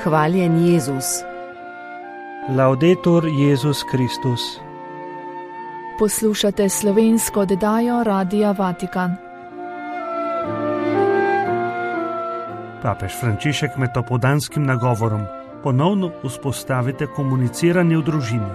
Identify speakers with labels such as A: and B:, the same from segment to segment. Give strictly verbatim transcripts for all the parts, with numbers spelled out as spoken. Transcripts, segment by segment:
A: Hvaljen Jezus.
B: Laudetur Jezus Kristus.
C: Poslušate slovensko oddajo Radia Vatikan.
B: Papež Frančišek med opoldanskim nagovorom: ponovno vzpostavite komuniciranje v družini.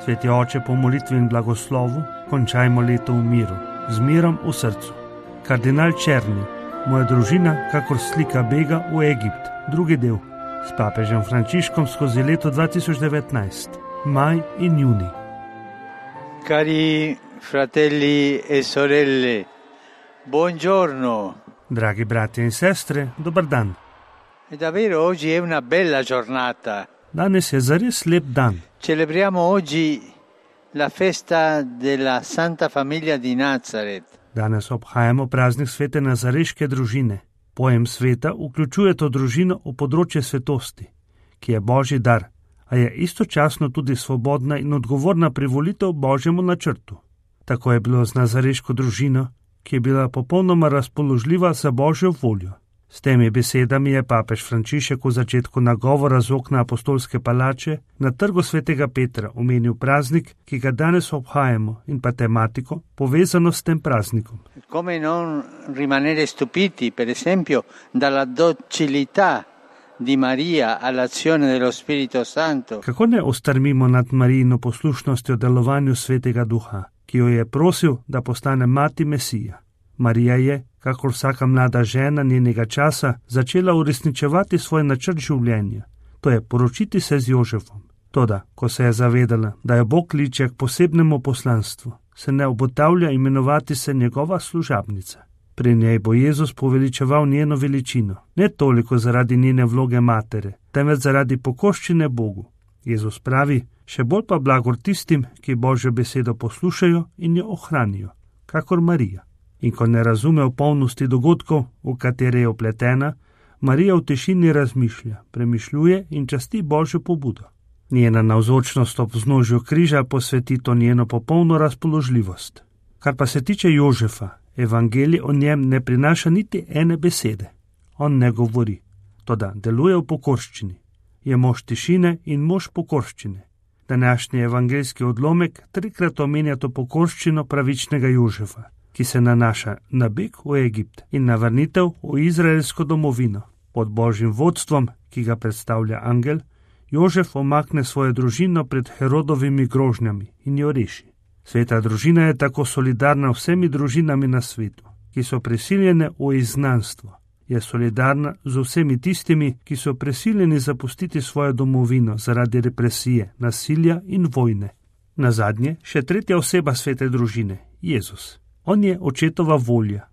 B: Sveti oče, po molitvi in blagoslovu končajmo leto v miru, z mirom v srcu. Kardinal Černi: moja družina kakor slika bega v Egipt. Drugi del. S papežem Frančiškom skozi leto dva tisoč devetnajst. Maj in junij.
D: Cari fratelli e sorelle, buongiorno.
B: Dragi bratje in sestre, dober dan.
D: E davvero oggi è una bella giornata.
B: Danes je zares lep dan.
D: Celebriamo oggi la festa della Santa Famiglia di Nazaret.
B: Danes obhajamo praznik svete nazareške družine. Pojem sveta vključuje to družino v področje svetosti, ki je Božji dar, a je istočasno tudi svobodna in odgovorna privolitev Božjemu načrtu. Tako je bilo z nazareško družino, ki je bila popolnoma razpoložljiva za Božjo voljo. S temi besedami je papež Frančišek v začetku nagovora z okna apostolske palače na trgu svetega Petra omenil praznik, ki ga danes obhajamo, in pa tematiko, povezano s tem praznikom.
D: Come non rimanere stupiti, per esempio, dalla docilità di Maria all'azione dello Spirito Santo.
B: Kako ne ostrmimo nad Marijino poslušnostjo delovanju svetega duha, ki jo je prosil, da postane mati Mesija. Marija je, kakor vsaka mlada žena njenega časa, začela uresničevati svoj načrt življenja, to je poročiti se z Jožefom. Toda, ko se je zavedala, da jo Bog kliče k posebnemu poslanstvu, se ne obotavlja imenovati se njegova služabnica. Pri njej bo Jezus poveličeval njeno veličino, ne toliko zaradi njene vloge matere, temveč zaradi pokorščine Bogu. Jezus pravi: še bolj pa blagor tistim, ki Božjo besedo poslušajo in jo ohranijo, kakor Marija. In ko ne razume v polnosti dogodkov, v katere je upletena, Marija v tišini razmišlja, premišljuje in časti Božjo pobudo. Njena navzočnost ob vznožju križa posveti to njeno popolno razpoložljivost. Kar pa se tiče Jožefa, evangelij o njem ne prinaša niti ene besede. On ne govori, toda deluje v pokorščini. Je mož tišine in mož pokorščine. Današnji evangeljski odlomek trikrat omenja to pokorščino pravičnega Jožefa, ki se nanaša na beg v Egipt in na vrnitev v izraelsko domovino. Pod Božjim vodstvom, ki ga predstavlja angel, Jožef omakne svojo družino pred Herodovimi grožnjami in jo reši. Sveta družina je tako solidarna vsemi družinami na svetu, ki so prisiljene v izgnanstvo. Je solidarna z vsemi tistimi, ki so prisiljeni zapustiti svojo domovino zaradi represije, nasilja in vojne. Nazadnje še tretja oseba svete družine, Jezus. On je očetova volja.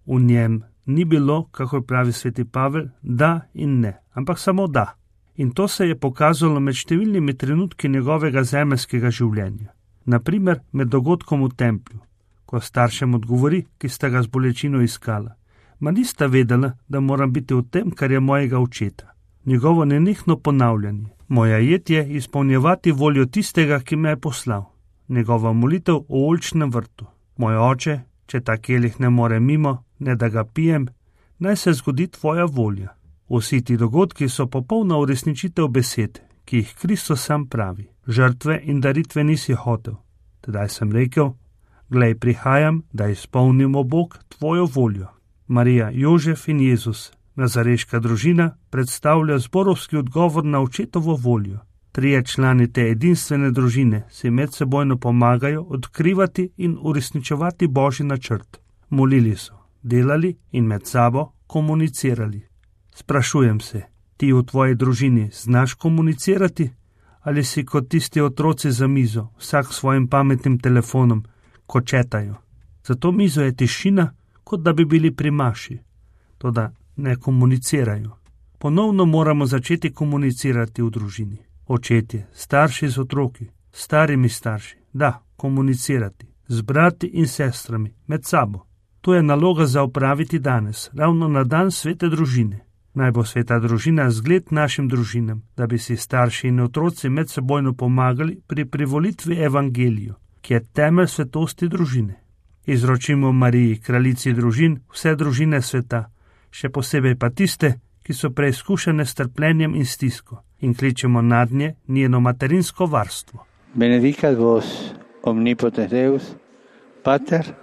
B: V njem ni bilo, kako pravi sveti Pavel, da in ne, ampak samo da. In to se je pokazalo med številnimi trenutki njegovega zemeljskega življenja. Naprimer med dogodkom v templju, ko staršem odgovori, ki sta ga z bolečino iskala: ma nista vedela, da moram biti v tem, kar je mojega očeta. Njegovo nenehno ponavljanje: moja jed je izpolnjevati voljo tistega, ki me je poslal. Njegova molitev o oljčnem vrtu: moj oče, če ta kelih ne more mimo, ne da ga pijem, naj se zgodi tvoja volja. Vsi ti dogodki so popolna uresničitev besed, ki jih Kristus sam pravi: žrtve in daritve nisi hotel. Tedaj sem rekel: glej, prihajam, da izpolnimo Bog tvojo voljo. Marija, Jožef in Jezus, nazareška družina, predstavlja zborovski odgovor na očetovo voljo. Trije člani te edinstvene družine si medsebojno pomagajo odkrivati in uresničevati Božji načrt. Molili so, delali in med sabo komunicirali. Sprašujem se, ti v tvoji družini znaš komunicirati? Ali si kot tisti otroci za mizo, vsak s svojim pametnim telefonom, kočetajo? Za to mizo je tišina, kot da bi bili pri maši. Toda ne komunicirajo. Ponovno moramo začeti komunicirati v družini. Očetje, starši z otroki, starimi starši, da, komunicirati, z brati in sestrami, med sabo. To je naloga za opraviti danes, ravno na dan svete družine. Naj bo sveta družina zgled našim družinam, da bi si starši in otroci medsebojno pomagali pri privolitvi evangeliju, ki je temelj svetosti družine. Izročimo Mariji, kraljici družin, vse družine sveta, še posebej pa tiste, ki so preizkušene s trpljenjem in stisko, in kličemo nadnje njeno materinsko varstvo.
D: Benedicat vos omnipotens Deus, Pater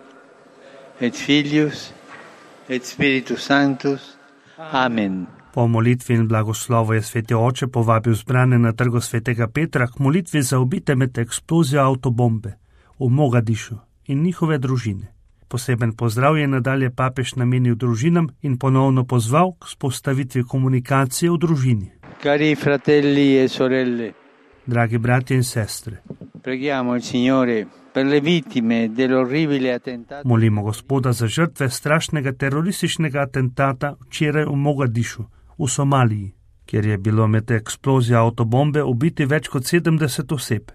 D: et Filius et Spiritus Sanctus. Amen.
B: Po molitvi in blagoslovu je sveti oče povabil zbrane na trgu svetega Petra k molitvi za ubite med eksplozijo avtobombe v Mogadišu in njihove družine. Poseben pozdrav je nadalje papež namenil družinam in ponovno pozval k vzpostavitvi komunikacije v družini.
D: Cari fratelli e sorelle,
B: dragi bratje in sestre,
D: preghiamo il Signore per le vittime dell'orribile attentato.
B: Molimo Gospoda za žrtve strašnega terorističnega atentata včeraj v Mogadišu, v Somaliji, kjer je bilo med eksplozijo avtobombe ubiti več kot sedemdeset oseb.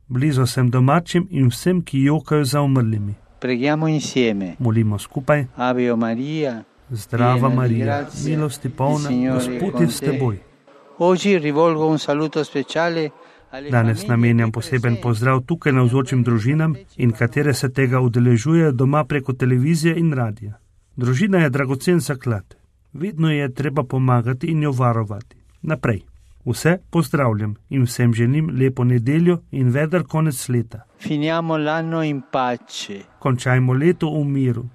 B: Blizu sem domačim in vsem, ki jokajo za umrlimi.
D: Preghiamo insieme.
B: Molimo skupaj.
D: Ave Maria,
B: Zdrava Marija, milosti polna, Gospod je s teboj.
D: Oggi rivolgo un saluto speciale.
B: Danes namenjam poseben pozdrav tukaj navzočim družinam in katere se tega udeležujejo doma preko televizije in radija. Družina je dragocen zaklad. Vedno je treba pomagati in jo varovati. Naprej. Vse pozdravljam in vsem želim lepo nedeljo in veder konec leta.
D: Finiamo l'anno in pace.
B: Končajmo leto v miru.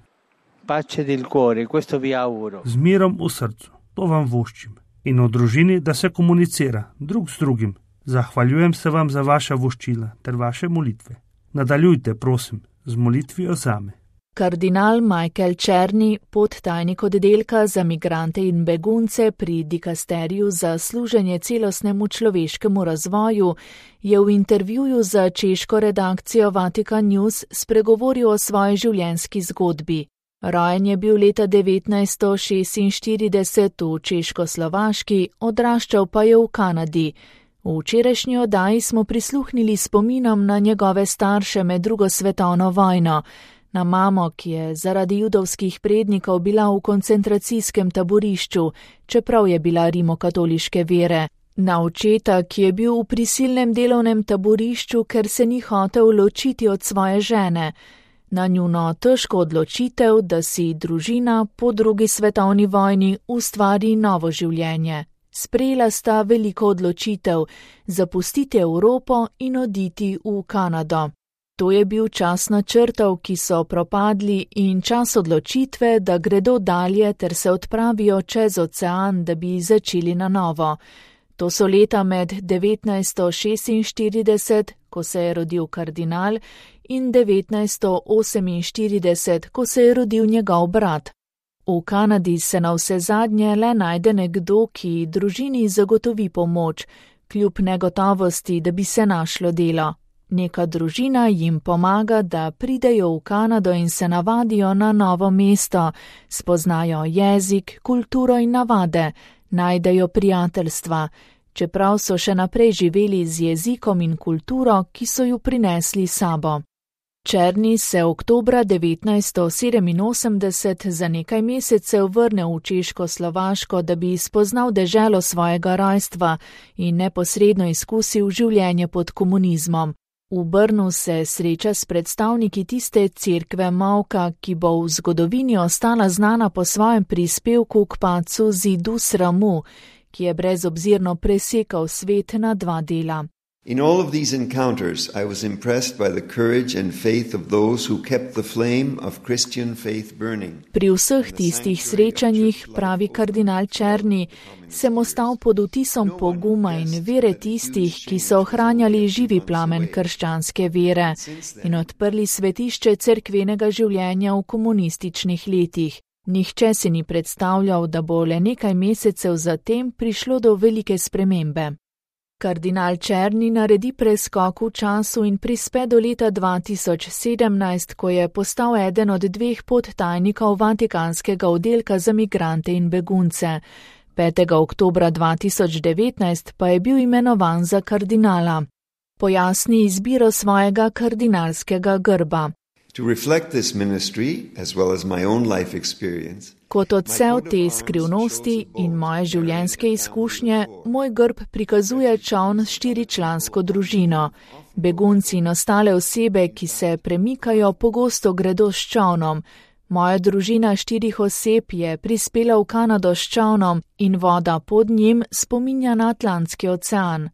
D: Pace del cuore, questo vi auguro.
B: Z mirom v srcu, to vam voščim. In v družini, da se komunicira drug z drugim. Zahvaljujem se vam za vaša voščila ter vaše molitve. Nadaljujte, prosim, z molitvijo zame.
C: Kardinal Michael Czerny, podtajnik oddelka za migrante in begunce pri dikasteriju za služenje celostnemu človeškemu razvoju, je v intervjuju za češko redakcijo Vatikan News spregovoril o svoji življenjski zgodbi. Rojen je bil leta devetnajststo šestinštirideset v Češko-Slovaški, odraščal pa je v Kanadi. V včerajšnji oddaji smo prisluhnili spominom na njegove starše med drugo svetovno vojno, na mamo, ki je zaradi judovskih prednikov bila v koncentracijskem taborišču, čeprav je bila rimokatoliške vere, na očeta, ki je bil v prisilnem delovnem taborišču, ker se ni hotel ločiti od svoje žene, na njuno težko odločitev, da si družina po drugi svetovni vojni ustvari novo življenje. Sprejela sta veliko odločitev, zapustiti Evropo in oditi v Kanado. To je bil čas načrtov, ki so propadli, in čas odločitve, da gredo dalje ter se odpravijo čez ocean, da bi začeli na novo. To so leta med devetnajststo šestinštirideset, ko se je rodil kardinal, in devetnajststo oseminštirideset, ko se je rodil njegov brat. V Kanadi se na vse zadnje le najde nekdo, ki družini zagotovi pomoč, kljub negotovosti, da bi se našlo delo. Neka družina jim pomaga, da pridejo v Kanado in se navadijo na novo mesto, spoznajo jezik, kulturo in navade, najdejo prijateljstva, čeprav so še naprej živeli z jezikom in kulturo, ki so ju prinesli sabo. Czerny se oktobra devetnajststo sedeminosemdeset za nekaj mesecev vrne v Češko-Slovaško, da bi spoznal deželo svojega rojstva in neposredno izkusil življenje pod komunizmom. V Brnu se sreča s predstavniki tiste cerkve Mauka, ki bo v zgodovini ostala znana po svojem prispevku k padcu zidu sramu, ki je brezobzirno presekal svet na dva dela.
A: In all of these encounters, I was impressed by the courage and faith of those who kept the flame of Christian faith burning.
C: Pri vseh tistih srečanjih, pravi kardinal Czerny, sem ostal pod vtisom poguma in vere tistih, ki so ohranjali živi plamen krščanske vere in odprli svetišče cerkvenega življenja v komunističnih letih. Nihče si ni predstavljal, da bo le nekaj mesecev zatem prišlo do velike spremembe. Kardinal Czerny naredi preskok v času in prispe do leta dva tisoč sedemnajst, ko je postal eden od dveh podtajnikov Vatikanskega oddelka za migrante in begunce. petega oktobra dva tisoč devetnajst pa je bil imenovan za kardinala. Pojasni izbiro svojega kardinalskega grba.
A: To reflect this ministry, as well as my own life experience,
C: Kot odsev te skrivnosti in moje življenjske izkušnje, moj grb prikazuje čoln s štiričlansko družino. Begunci in ostale osebe, ki se premikajo, pogosto gredo s čolnom. Moja družina štirih oseb je prispela v Kanado s čavnom in voda pod njim spominja na Atlantski ocean.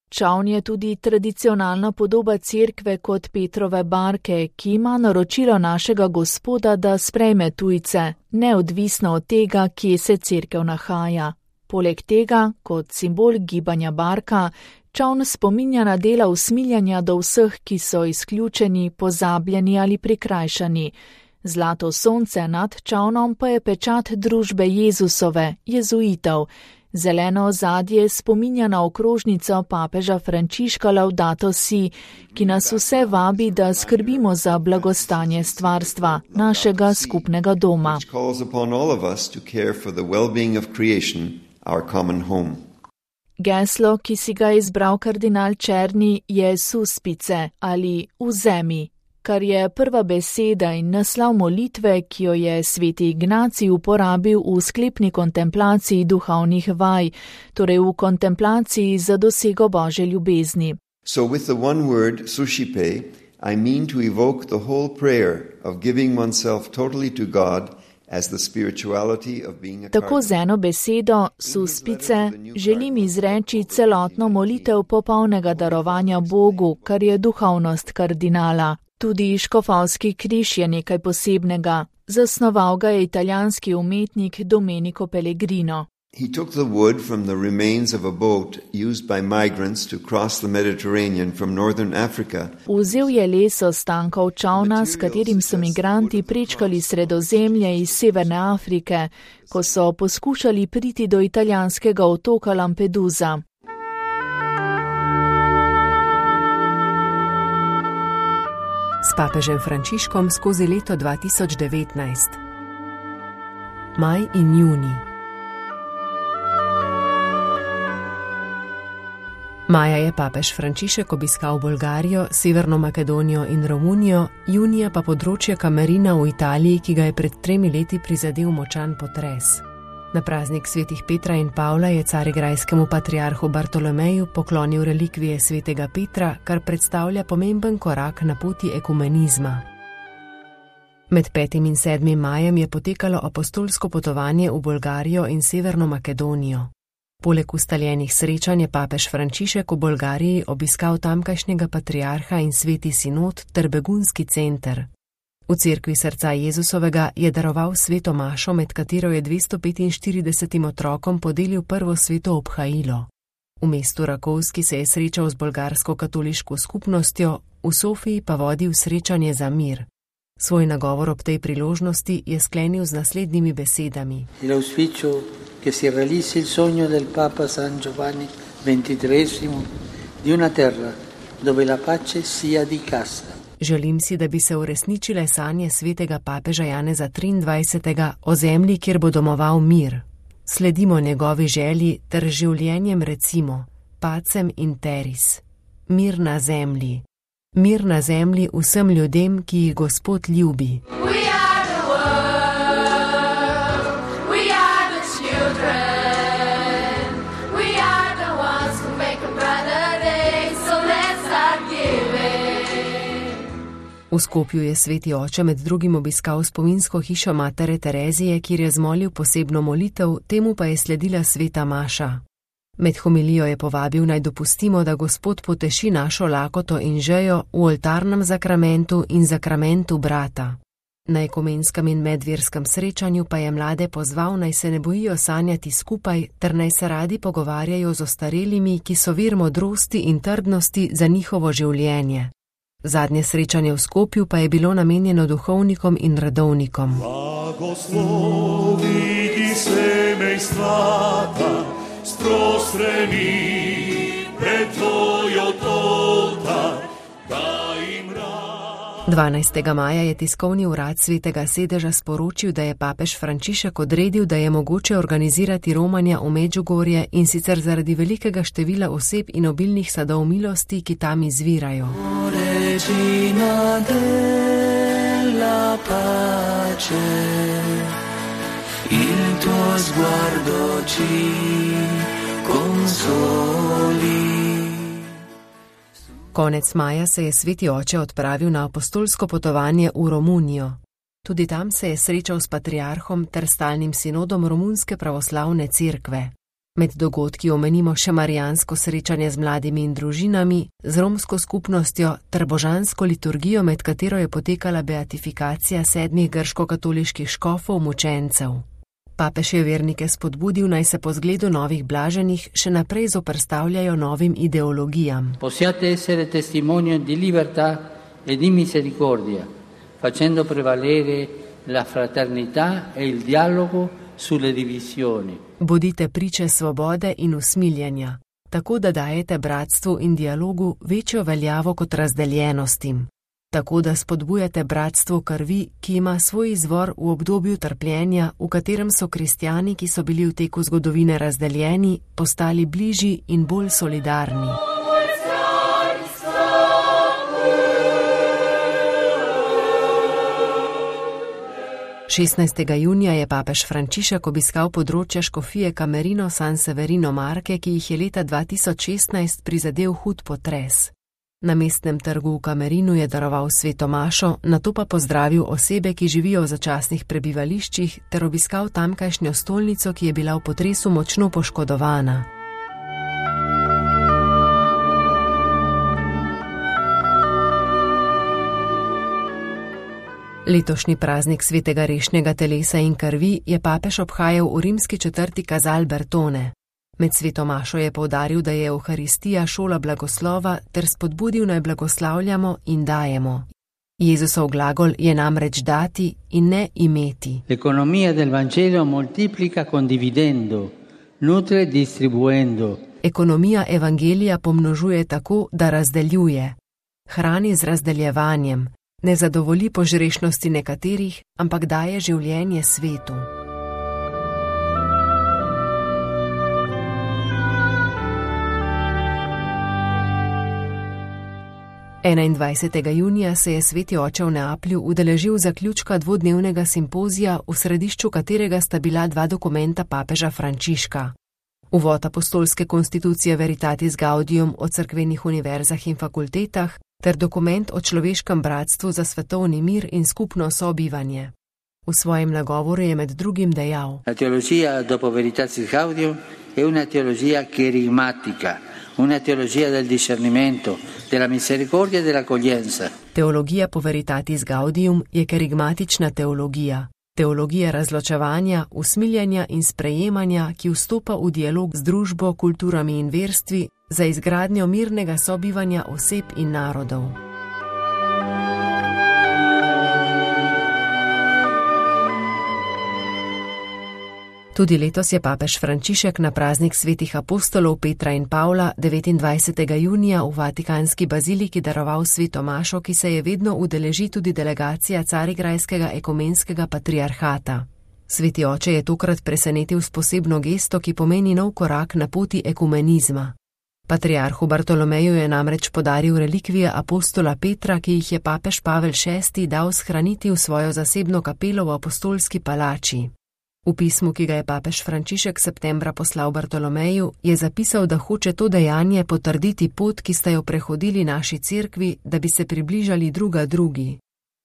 C: Čavn je tudi tradicionalna podoba cerkve kot Petrove barke, ki ima naročilo našega Gospoda, da sprejme tujce, neodvisno od tega, kje se cerkev nahaja. Poleg tega, kot simbol gibanja barka, čavn spominja na dela usmiljanja do vseh, ki so izključeni, pozabljeni ali prikrajšani. Zlato sonce nad čavnom pa je pečat družbe Jezusove, jezuitov. Zeleno ozadje spominja na okrožnico papeža Frančiška Laudato Si, ki nas vse vabi, da skrbimo za blagostanje stvarstva, našega skupnega doma. Geslo, ki si ga izbral kardinal Černi, je Suspice ali Vzemi, kar je prva beseda in naslov molitve, ki jo je sveti Ignacij uporabil v sklepni kontemplaciji duhovnih vaj, torej v kontemplaciji za dosego Božje ljubezni.
A: So with the one word, suscipe, I mean to evoke the whole prayer of giving oneself totally to God as the spirituality of being a
C: Tako z eno besedo, suspice, želim izreči celotno molitev popolnega darovanja Bogu, kar je duhovnost kardinala. Tudi škofovski križ je nekaj posebnega. Zasnoval ga je italijanski umetnik Domenico Pellegrino.
A: He took the wood from the remains of a boat used by migrants to cross the Mediterranean from northern Africa.
C: Vzel je les ostankov čavna, s katerim so migranti prečkali Sredozemlje iz severne Afrike, ko so poskušali priti do italijanskega otoka Lampedusa.
E: S papežem Frančiškom skozi leto dva tisoč devetnajst. Maj in junij. Maja je papež Frančišek obiskal Bolgarijo, Severno Makedonijo in Romunijo, junija pa področje Kamerina v Italiji, ki ga je pred tremi leti prizadel močan potres. Na praznik svetih Petra in Pavla je carigrajskemu patriarhu Bartolomeju poklonil relikvije svetega Petra, kar predstavlja pomemben korak na poti ekumenizma. Med petim in sedmim majem je potekalo apostolsko potovanje v Bolgarijo in Severno Makedonijo. Poleg ustaljenih srečanj je papež Frančišek v Bolgariji obiskal tamkajšnjega patriarha in sveti sinod ter begunski center. V cerkvi srca Jezusovega je daroval sveto mašo, med katero je dvesto petinštiridesetim otrokom podelil prvo sveto obhajilo. V mestu Rakovski se je srečal z bolgarsko katoliško skupnostjo, v Sofiji pa vodil srečanje za mir. Svoj nagovor ob tej priložnosti je sklenil z naslednjimi besedami.
D: Che si realizzi il sogno del Papa San Giovanni ventitreesimo di una terra dove la pace sia di casa.
E: Želim si, da bi se uresničile sanje svetega papeža Janeza triindvajsetega o zemlji, kjer bo domoval mir. Sledimo njegovi želji ter življenjem recimo pacem in teris. Mir na zemlji. Mir na zemlji vsem ljudem, ki jih Gospod ljubi. V Skopju je sveti oče med drugim obiskal spominsko hišo matere Terezije, kjer je zmolil posebno molitev, temu pa je sledila sveta maša. Med homilijo je povabil naj dopustimo, da Gospod poteši našo lakoto in žejo v oltarnem zakramentu in zakramentu brata. Na ekumenskem in medverskem srečanju pa je mlade pozval, naj se ne bojijo sanjati skupaj, ter naj se radi pogovarjajo z ostarelimi, ki so vir modrosti in trdnosti za njihovo življenje. Zadnje srečanje v Skopju pa je bilo namenjeno duhovnikom in redovnikom.
F: Blagoslovi ti semejstvata, sprostreni pred tvojo oltar, da jim rad.
E: dvanajstega maja je tiskovni urad svetega sedeža sporočil, da je papež Frančišek odredil, da je mogoče organizirati romanja v Medžugorje, in sicer zaradi velikega števila oseb in obilnih sadov milosti, ki tam izvirajo. Regina della pace, il tuo sguardo ci consoli. Konec maja se je sveti oče odpravil na apostolsko potovanje v Romunijo. Tudi tam se je srečal s patriarhom ter stalnim sinodom Romunske pravoslavne cerkve. Med dogodki omenimo še marijansko srečanje z mladimi in družinami, z romsko skupnostjo ter božansko liturgijo, med katero je potekala beatifikacija sedmih grško-katoliških škofov mučencev. Papež je vernike spodbudil, naj se po zgledu novih blaženih še naprej zoperstavljajo novim ideologijam.
D: Possiate essere testimonio di libertà e di misericordia, facendo prevalere la fraternità e il dialogo sulle divisioni.
E: Bodite priče svobode in usmiljenja, tako da dajete bratstvu in dialogu večjo veljavo kot razdeljenostim. Tako da spodbujate bratstvo krvi, ki ima svoj izvor v obdobju trpljenja, v katerem so kristjani, ki so bili v teku zgodovine razdeljeni, postali bližji in bolj solidarni. šestnajstega junija je papež Frančišek obiskal področja škofije Camerino San Severino Marke, ki jih je leta dva tisoč šestnajst prizadel hud potres. Na mestnem trgu v Camerinu je daroval sveto mašo, nato pa pozdravil osebe, ki živijo v začasnih prebivališčih, ter obiskal tamkajšnjo stolnico, ki je bila v potresu močno poškodovana. Letošnji praznik svetega rešnjega telesa in krvi je papež obhajal v rimski četrti Casal Bertone. Med sveto mašo je poudaril, da je Evharistija šola blagoslova, ter spodbudil, naj blagoslavljamo in dajemo. Jezusov glagol je namreč dati in ne imeti.
D: L'economia del Vangelo moltiplica condividendo, nutre distribuendo.
E: Ekonomija evangelija pomnožuje tako, da razdeljuje. Hrani z razdeljevanjem. Ne zadovolji požrešnosti nekaterih, ampak daje življenje svetu. enaindvajsetega junija se je sveti oče v Neaplju udeležil zaključka dvodnevnega simpozija, v središču katerega sta bila dva dokumenta papeža Frančiška. Uvod apostolske konstitucije Veritatis Gaudium o cerkvenih univerzah in fakultetah ter dokument o človeškem bratstvu za svetovni mir in skupno sobivanje. V svojem nagovoru je med drugim dejal:
D: La teologija dopo Veritatis Gaudium è una teologija kerigmatica, una teologija del discernimento, della misericordia e dell'accoglienza. Teologija po Veritatis Gaudium je kerigmatična teologija. Teologija razločevanja, usmiljenja in sprejemanja, ki vstopa v dialog z družbo, kulturami in verstvi za izgradnjo mirnega sobivanja oseb in narodov. Tudi letos je papež Frančišek na praznik svetih apostolov Petra in Pavla devetindvajsetega junija v Vatikanski baziliki daroval sveto mašo, ki se je vedno udeleži tudi delegacija Carigrajskega ekumenskega patriarhata. Sveti oče je tokrat presenetil s posebno gesto, ki pomeni nov korak na poti ekumenizma. Patriarhu Bartolomeju je namreč podaril relikvije apostola Petra, ki jih je papež Pavel šesti dal shraniti v svojo zasebno kapelo v apostolski palači. V pismu, ki ga je papež Frančišek septembra poslal Bartolomeju, je zapisal, da hoče to dejanje potrditi pot, ki sta jo prehodili naši cerkvi, da bi se približali druga drugi.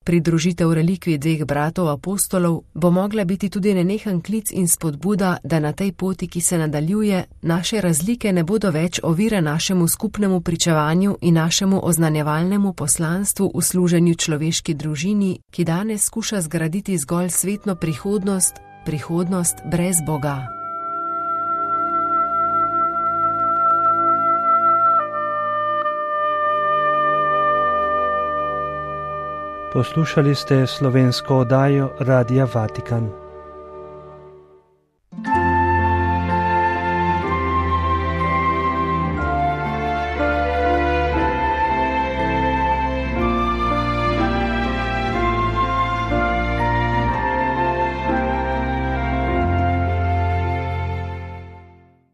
D: Pridružitev relikvij dveh bratov apostolov bo mogla biti tudi nenehen klic in spodbuda, da na tej poti, ki se nadaljuje, naše razlike ne bodo več ovire našemu skupnemu pričevanju in našemu oznanjevalnemu poslanstvu v služenju človeški družini, ki danes skuša zgraditi zgolj svetno prihodnost, prihodnost brez Boga.
B: Poslušali ste slovensko oddajo Radia Vatikan.